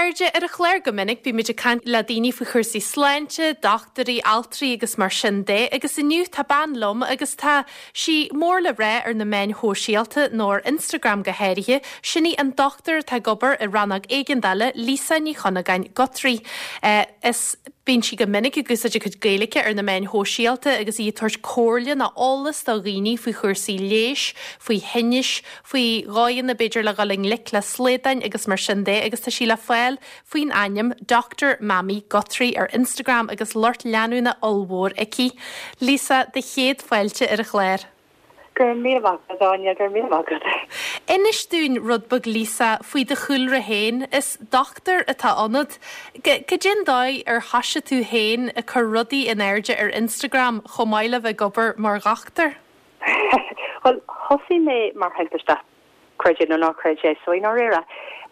chairde, ar an chlár go minic bímid ag caint le daoine faoi chúrsaí sláinte, dochtúirí, altraí agus mar sin de agus inniu tá bean liom agus tá sí mór le rá ar na meáin shóisialta nó ar Instagram go háirithe, sin í an dochtúir atá ag obair i rannóg éigeandála, Lisa Ní Chunagáin Guthrie. Is bíonn sí go minic ag úsáid a cuid Gaeilge ar na meáin shóisialta agus í ag tabhairt comhairle nó eolas do dhaoine faoi chúrsaí leighis, faoi thinnis, faoi dhóigheanna b'fhéidir le dhul i ngleic le slaodáin agus mar sin de agus tá sí le fáil faoin ainm Doctor Mammy Guthrie ar Instagram agus lucht leanúna ollmhór aici. Lisa, do chéad fáilte ar an chlár. Go raibh míle maith agat, Áine, go raibh míle maith agat. Inis dúinn rud beag, Lisa, faoi do chúlra féin. Is dochtúir atá ionat. Cad é an dóigh ar thoisigh tú féin ag cur rudaí in airde ar Instagram chomh maith le bheith ag obair mar dhochtúir? Bhuel, thosaigh mé mar thimpiste, creid é nó ná creid é, so i ndáiríre,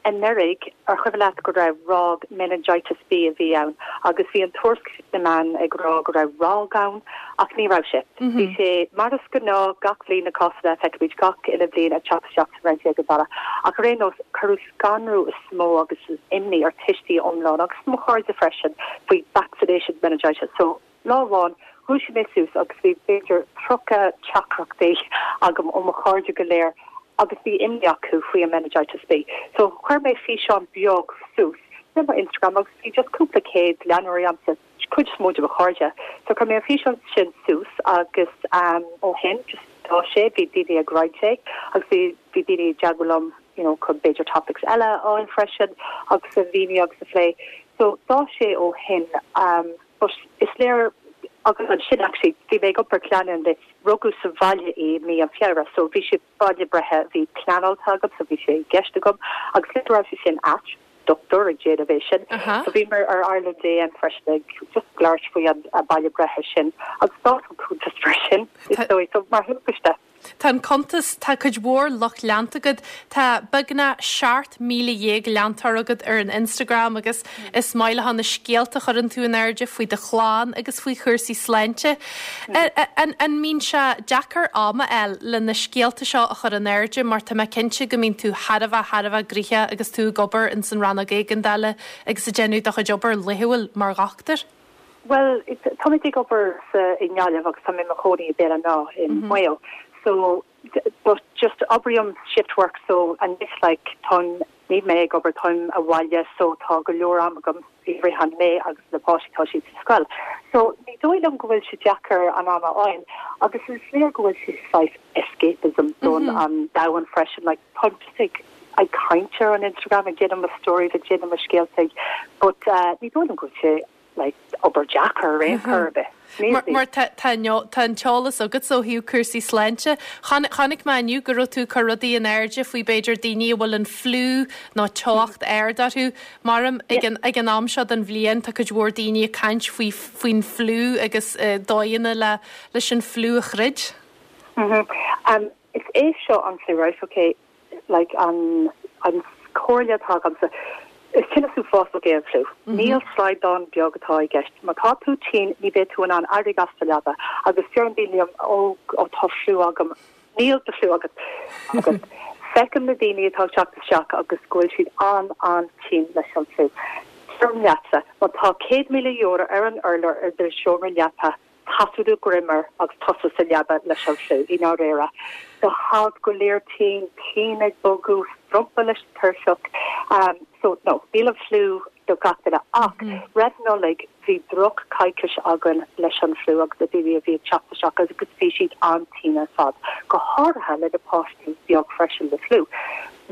anuraidh, ar chuimhin leat go raibh ráig meningitis B a bhí ann agus bhí an tuairisc sna meáin ag rá go raibh ráig ann ach ní raibh sé. Bhí sé mar is gnáth gach bhliain na cásanna a feicimid gach uile bhliain ag teacht isteach sa Roinn Éigeandála ach ar aon nós cuireadh scanrú is mó agus imní ar tuistí iomlán agus mo chairde freisin faoi vaccination meningitis so Lá amháin, dhúisigh mé suas agus bhí b'fhéidir 30 teachtaireachtaí agam ó mo chairde go léir agus bhí imní acu faoi an meningitis B. So chuir mé físeán beag suas ar mo Instagram agus bhí just cúpla céad leanóirí a'msa, cuid is mó de mo chairde. So chuir mé an físeán sin suas agus ó shin just d'fhás sé, bhí daoine ag roinnt é agus bhí bhí daoine ag teagmháil liom you know chun b'fhéidir topics eile a fháil freisin agus a mhíniú agus a phlé. So d'fhás sé ó shin. But is léir, agus ansin actually bhí mé ag iompar clainne le rugadh sa bhaile í i mí an Feabhra so bhí sé baile breithe bhí pleanáilte agam so bhí sé i gceist agam agus le go raibh sé sin ait, dochtúir ag déanamh é sin. So bhí mé ar Ireland AM freisin ag just labhairt faoi an baile breithe sin agus d'fhás an cuntas mar sin is dóigh so mar thimpiste. Tá an cuntas, tá cuid mhór lucht leanta agat, tá beagnach 17,000 leantóir agat ar an Instagram agus is maith leo na scéalta a chuireann tú in airde faoi do chlann agus faoi chúrsaí sláinte. An mbíonn sé deacair am a fháil le na scéalta seo a chur in airde mar tá mé cinnte go mbíonn tú thar a bheith, thar a bheith gnoitheach agus tú ag obair ins an rannóg éigeandála agus ag déanamh do chuid obair laethúil mar dhochtúir? Bhuel, táimid ag obair sa, i nGaillimh agus tá mé i mo chónaí i Béal an Átha in Maigh Eo. So, but just oibrím shift work so anois like táim, níl mé ag obair, táim abhaile so tá go leor am agam i rith an lae agus na páistí tá siad sa scoil. So ní dóigh liom go bhfuil sé deacair an am a fháil agus is léir go bhfuil sé saghas escapism don an domhan freisin like táim just ag ag caint ar an Instagram ag déanamh mo stories ag déanamh mo scéalta but ní dóigh liom go bhfuil sé like obair deacair ar aon chor ar bith. Mar tá tá an t-eolas agatsa ó thaobh cúrsaí sláinte. Chonaic mé inniu go raibh tú ag cur rudaí in airde faoi b'fhéidir daoine a bhfuil an fliú nó teocht ard orthu. Maram ag an ag an am seo den bhliain tá cuid mhór daoine ag caint faoi faoin fliú agus dóigheanna le leis an fliú a throid. Is é seo an fliú right ok like an an comhairle atá agamsa is tinneas uafásach é an fliú. Níl slaghdán beag atá i gceist. Má tá tú tinn ní bheidh tú in ann éirigh as do leaba agus deireann daoine liom ó ó tá fliú agam. Níl do fliú agat. Agus feicim na daoine atá ag teacht isteach agus go bhfuil siad an-an-tinn leis an fliú. Deirim leatsa, má tá €100,000 ar an urlár i do sheomra leapa, Caith do dhroim air agus tusa sa leaba leis an fliú, i ndáiríre. Tá go léir tinn, cinn ag bogadh, strompadh leis an tuirseach. So, no, níl an fliú do gach duine. Ach roimh Nollaig bhí droch coicís againn leis an fliú agus na daoine a bhí ag teacht isteach agus bhí siad an-tinn ar fad, go háirithe le na páistí beag freisin le fliú.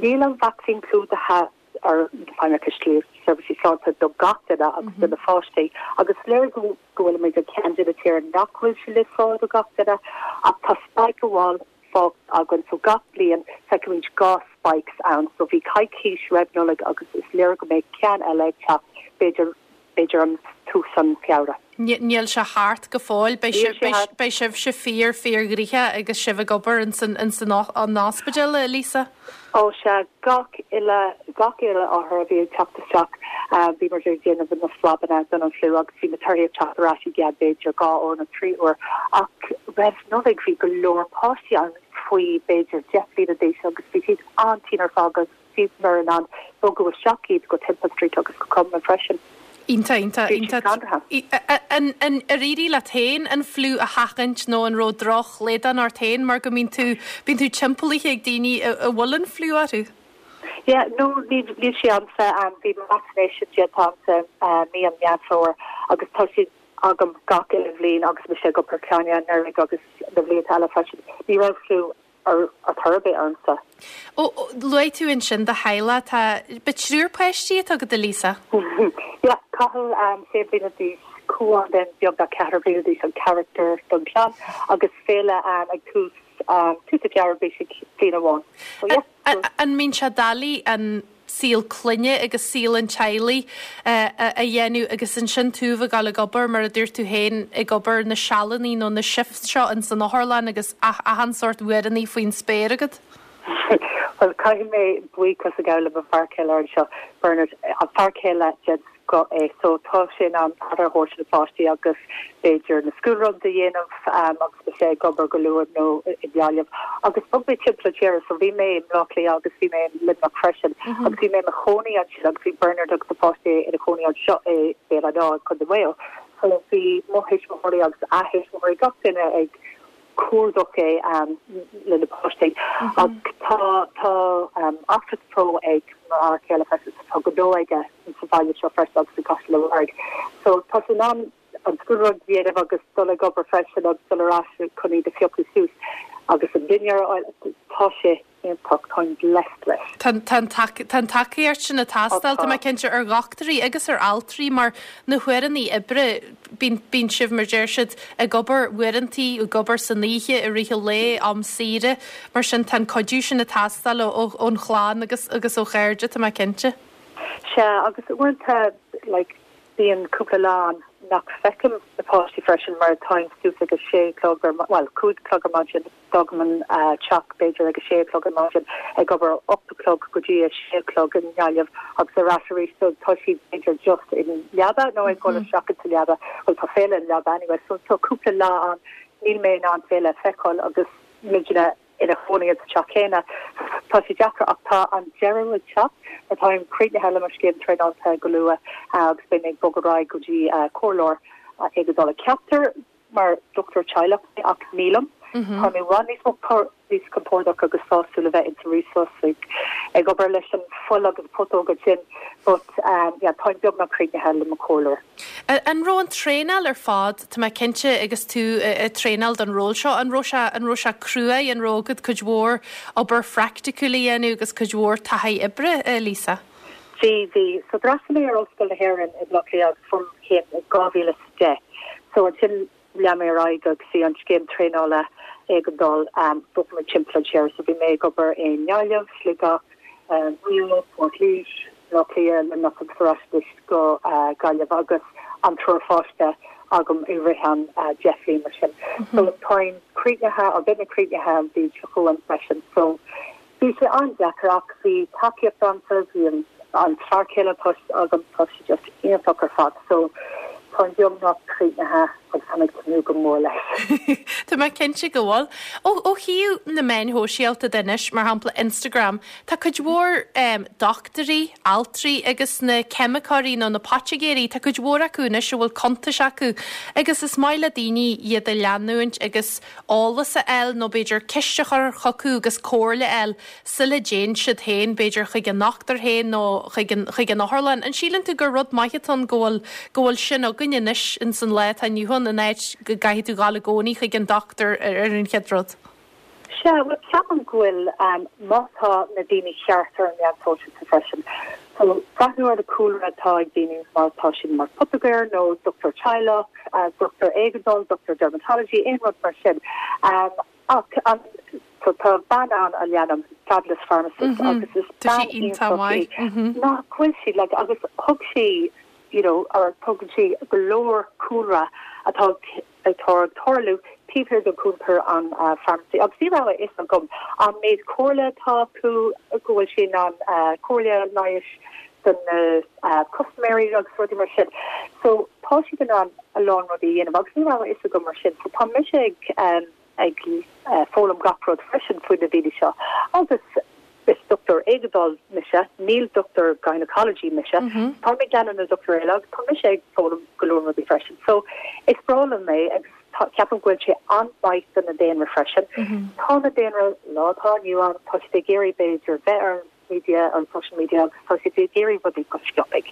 Níl an vacsaín clúdaithe ar Feidhmeannas Seirbhísí Sláinte do gach duine agus do na pháistí agus is léir go go bhfuilimid ar ceann de na tíortha nach bhfuil sé le fáil do gach duine ach tá spike amháin fágtha againn so gach bliain feicimid 2 spikes ann so bhí coicís roimh Nollaig agus is léir go mbeidh ceann eile ag teacht b'fhéidir b'fhéidir an tús an Feabhra. Níl sé thart go fóill. Beidh sibhse fíor, fíor ghnoitheach agus sibh ag obair ins an ospidéal, a Lisa? Ó sea, gach uile, gach uile othar a bhí ag teacht isteach, bhí muid ag déanamh na swabanna don an fliú agus bhí na torthaí ag teacht ar ais i gceann b'fhéidir 2 uair nó 3 uair. Ach roimh Nollaig bhí go leor páistí ann faoi b'fhéidir 10 bliana d'aois agus bhí siad an-tinn ar fad agus. bhíomar in ann bogadh isteach iad go Temple Street agus go Crumlin freisin. Iontach, iontach, iontach. An ar éirigh leat féin an fliú a sheachaint nó an raibh drochshlaghdán ort féin mar go mbíonn tú, bíonn tú timpeallaithe ag daoine a bhfuil an fliú orthu? Yeah, no, níl, níl sé a'msa. Bhí mo vaccination déanta a'msa mí an Meán Fómhair agus tá sé agam gach uile bhliain agus mise ag obair clainne anuraidh agus na blianta eile freisin. Ní raibh fliú ar chor ar bith ormsa. Ó, luaigh tú ansin do theaghlach, tá, ba triúr páistí atá agat, a Lisa? Yeah, Cathal, sé bliana d'aois, Cuán then beagnach ceathair bliana d'aois, an charachtar don chlann, agus Féile ag tús, tús an Feabhra, beidh sí bliain amháin. So yeah. An mbíonn sé doiligh an saol clainne agus saol an teaghlaigh a dhéanamh agus ansin tú a bheith ag dul ag obair, mar a dúirt tú féin, ag obair na sealannaí nó na shifts seo ins an otharlann agus achan sórt uaireannaí faoin spéir agat? Bhuel, caithfidh mé buíochas a ghabháil le mo bhfear céile anseo, Bernard, an fear céile den scoth é so tá sé in ann aire a thabhairt do na páistí agus b'fhéidir na school runs a dhéanamh agus mise ag obair go luath nó i nGaillimh. Agus bhog mé timpeall an tíre so bhí mé i mBleá Cliath agus bhí mé i Luimneach freisin agus bhí mé i mo chónaí ansin agus bhí Bernard agus na páistí ina chónaí anseo i Béal Átha an Átha, Contae Mhaigh Eo. So bhí mo thuismitheoirí agus a thuismitheoirí gach duine ag cuardach é le na páistí. Ach tá tá Office Pro ag mo fhear céile freisin so tá gnó aige sa bhaile seo freisin agus i gCaiseal an Bharraigh. So tá sé in ann an school run a dhéanamh agus dul ag obair freisin agus dul ar ais chun iad a phiocadh suas agus an dinnéar a fháil. Tá sé iontach, táim blessed leis. Tá tá an tacaíocht sin ag teastáil, tá mé cinnte, ar dhochtúirí agus ar altraí mar na huaireannaí oibre, bíonn bíonn sibh, mar deir siad, ag obair uaireantaí, ag obair san oíche, i rith an lae, am saoire, mar sin tá an cuidiú sin ag teastáil ó ón chlann agus agus ó chairde, tá mé cinnte. Sea, agus uaireanta, like, Bíonn cúpla lá ann nach bhfeicim na páistí freisin mar táim suas ag a sé a chlog ar, bhuel, 5 a chlog ar maidin, fágaim an teach b'fhéidir ag a sé a chlog ar maidin, ag obair ó 8 a chlog go dtí a sé a chlog i nGaillimh agus ar ais arís so tá siad b'fhéidir just i leaba nó ag dul isteach insa leaba, bhuel tá Féile i leaba anyway so tá cúpla lá ann níl mé in ann Féile a feiceáil agus muidne ina chónaí sa teach céanna. Tá sé deacair ach tá an deireadh ag teacht mar táim críochnaithe le mo scéim traenáilte go luath agus beidh mé ag bogadh ar aghaidh go dtí comhairleoir éigeandála. Ceaptar mar dochtúir teaghlach mé ach nílim. Táim i bhfad níos mó níos compordach agus sásúil a bheith insa resus ag ag obair leis an fuil agus putóg ansin but yeah táim beagnach críochnaithe le mo chomhairleoir. An raibh an traenáil ar fad, tá mé cinnte agus tú ag traenáil don ról seo, an raibh sé, an raibh sé cruaidh, an raibh agat cuid mhór obair phraicticiúil a dhéanamh agus cuid mhór taithí oibre, Lisa? Bhí, bhí. So d'fhreastail mé ar Ollscoil na hÉireann i mBleá Cliath agus fuair mé céim in 2010. So ansin lean mé ar aghaidh agus bhí an scéim traenála éigeandáil, bhog mé timpeall an tíre. So bhí mé ag obair i nGaillimh, Sligeach, Maigh Eo, Port Laoise, Bleá Cliath, Luimneach agus ar ais anois go Gaillimh agus an triúr pháiste agam i rith an 10 bhliain mar sin. So táim críochnaithe, or beidh mé críochnaithe an bhliain seo chugainn freisin. So bhí sé an-deacair ach bhí tacaíocht a'msa, bhí an an fear céile atá agam, tá sé just iontach ar fad. So táim beagnach críochnaithe agus táim ag tnúth go mór leis. Tá mé cinnte go bhfuil. Ó ó thaobh na meáin shóisialta de anois, mar shampla Instagram, Tá cuid mhór dochtúirí, altraí agus na ceimiceoirí nó na poitigéirí, tá cuid mhór acu anois a bhfuil cuntais acu agus is maith le daoine iad a leanúint agus eolas a fháil nó b'fhéidir ceist a chur chucu agus comhairle a fháil sula dtéann siad féin b'fhéidir chuig a ndochtúir féin nó chuig an chuig an otharlann. An síleann tú gur rud maith atá ann go bhfuil go bhfuil sin againn anois ins an lá atá inniu ann in áit go gcaithfidh tú dhul i gcónaí chuig an dochtúir ar an chéad rud? Sea, bhuel, ceapaim go bhfuil, má tá na daoine ceart ar an meán sóisialta freisin. So, breathnú ar na cúlra atá ag daoine má tá siad mar poitigéir nó dochtúir teaghlach, dochtúir éigeandáil, dochtúir dermatology, aon rud mar sin. Ach an, so tá bean ann a leanaim, Fabulous Pharmacist, agus is bean iontach í. Nach bhfuil sí, like, agus thug sí, you know, or tugann sí go leor cúlra atá atá ag tarlú taobh thiar den chuntar an pharmacy agus ní raibh a fhios agam an méid comhairle atá acu, go bhfuil sí in ann comhairle leighis do na custaiméirí agus rudaí mar sin. So tá siad in ann a lán rudaí a dhéanamh agus ní raibh a fhios agam mar sin. So tá mise ag ag foghlaim gach rud freisin faoi na daoine seo agus. Is dochtúir éigeandála mise, níl dochtúir gynecology mise. Tá mé ag leanúint na dochtúirí eile agus tá mise ag foghlaim go leor rudaí freisin. So, is breá liom é agus tá, ceapaim go bhfuil sé an-mhaith do na daonra freisin. Tá na daonra, lá atá inniu ann, tá siad ag iarraidh b'fhéidir bheith ar an media, ar an social media agus tá siad ag iarraidh rudaí go sciobtha.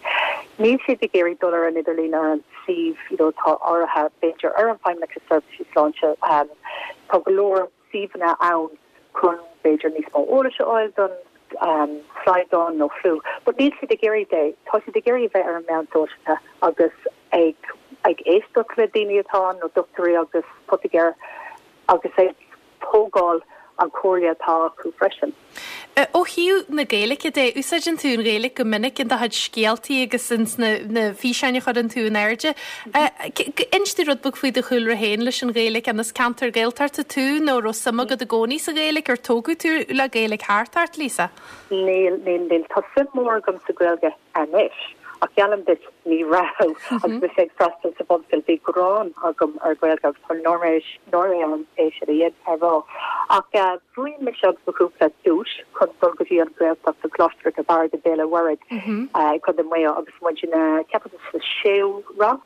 Níl siad ag iarraidh dul ar an idirlíon ar an suíomh, you know, atá áirithe b'fhéidir ar an Feidhmeannas Seirbhísí Sláinte. Tá go leor suíomhanna ann chun b'fhéidir níos mó eolais a fháil don slaghdán nó fliú. But níl siad ag iarraidh é. Tá siad ag iarraidh a bheith ar an meán sóisialta agus ag ag éisteacht le daoine atá ann nó dochtúirí agus poitigéir agus ag tógáil an chomhairle atá acu freisin. Ó thaobh na Gaeilge de, úsáideann tú an Ghaeilge go minic in do chuid scéaltaí agus ins na físeáin a chuireann tú in airde. Inis domh rud beag faoi do chúlra féin leis an Ghaeilge. An as ceantar Gaeltachta tú nó raibh suim agat i gcónaí sa Ghaeilge? Ar tógadh tú le Gaeilge thart ort, Lisa? Níl, níl, níl. Tá suim mhór agam sa Ghaeilge anois, ach geallaim duit, ní raibh. Agus mise ag freastal sa bhunscoil, bhí gráin agam ar Ghaeilge agus tá náire orm é sin a rá. Ach bhuaigh mise agus mo chúpla duais chun dul go dtí an Ghaeltacht, an Coláiste Mhic an Bhaird i Béal an Mhuirthead i gContae Mhaigh Eo agus muid ina, ceapaim, sa séú rang.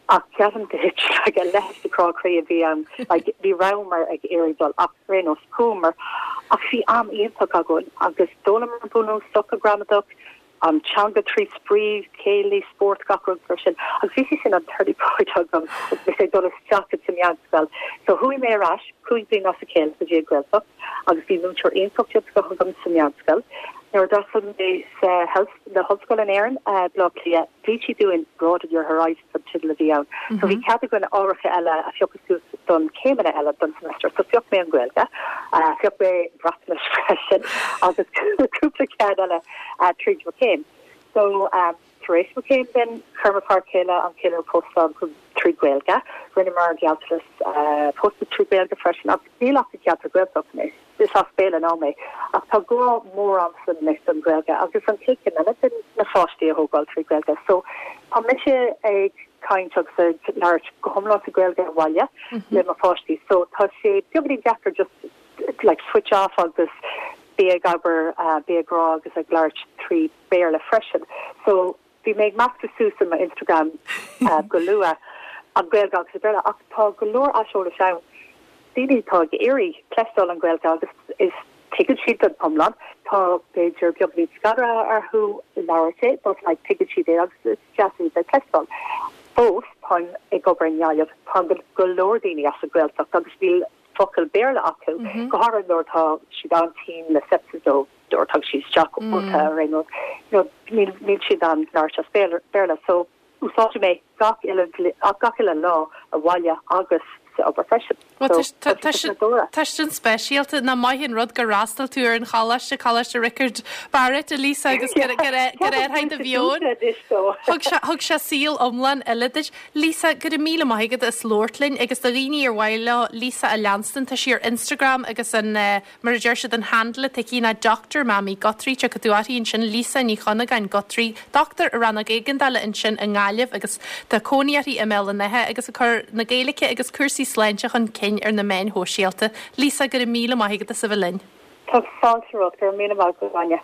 Ach geallaim duit, like, a leithéid de chrá croí a bhí ann, like, ní rabhamar ag iarraidh dul ach ar aon nós, chuamar. Ach bhí am iontach againn agus d'fhoghlaimar bunúsach an gramadach, an teanga trí spraoi, céilí, spórt, gach rud mar sin. Agus bhí sé sin an turning point agam agus mise ag dul isteach sa meánscoil. So chuaigh mé ar ais cúig bliana as a chéile go dtí an Ghaeltacht agus bhí múinteoir iontach den scoth agam sa meánscoil. Nuair a d'fhreastail mé sa health, na hollscoil in Éirinn, Baile Átha Cliath, bhí siad dúinn Broaden Your Horizons an teideal a bhí ann. So bhí cead againn ábharacha eile a phiocadh suas don céimeanna eile don semester. So phioc mé an Ghaeilge, phioc mé Breatnais freisin agus cúpla ceann eile tríd mo chéim. So tar éis mo chéim then chuir mo fear céile an ceiliúradh pósta ann trí Ghaeilge. Rinneamar gealltanas pósta trí Ghaeilge freisin agus níl ach i gceantar Gaeltachta mé. Is as Béal an Átha mé, ach tá grá mór a'msa anois don Ghaeilge agus an chéad chéim eile sin na pháistí a thógáil trí Ghaeilge. So tá mise ag caint agus ag labhairt go hiomlán sa Ghaeilge abhaile le mo pháistí. So tá sé beagáinín deacair just like switch off agus bí ag abair, bí ag rá agus ag labhairt trí Béarla freisin. So Bhí mé ag meascadh suas i mo Instagram go luath, an Ghaeilge agus an Béarla, ach tá go leor aiseolais ann, daoine atá ag iarraidh cloisteáil an Ghaeilge agus is tuigeann siad don iomlán, tá b'fhéidir beagáinín scanraithe orthu labhairt é but like tuigeann siad é agus is deas iad a chloisteáil. Fós, táim ag obair i nGaillimh, tagann go leor daoine as an Ghaeltacht agus níl focal Béarla acu, go háirithe nuair atá siad an-tinn le sepsis nó nuair atá siad isteach ólta ar aon rud, you know, níl, níl siad in ann labhairt as Béarla, so úsáidim é gach uile, gach uile lá abhaile agus sa obair freisin. Bhuel, So, tá sé nádúrtha. tá sin speisialta. Nach maith an rud gur fhreastail tú ar an choláiste, Coláiste Riocard Barrett, a Lisa, agus gur, gur, gur athraigh do mheon. Thug sé, thug sé saol iomlán eile duit. Lisa, go raibh míle maith agat as labhairt linn agus do dhaoine ar mhaith leo Lisa a leanstan, tá sí ar Instagram agus an, Mar a deir siad, an handle atá aici ná Doctor Mammy Guthrie. Tiocfaidh tú uirthi ansin, Lisa Ní Chunagáin Guthrie, dochtúir i rannóg éigeandála ansin i nGaillimh agus tá cónaí uirthi i mBéal an Átha agus ag cur na Gaeilge agus cúrsaí sláinte chun cinn ar na meáin shóisialta. Lisa, go raibh míle maith agat as a bheith linn. Tá fáilte romhat, go raibh míle maith agat, Áine.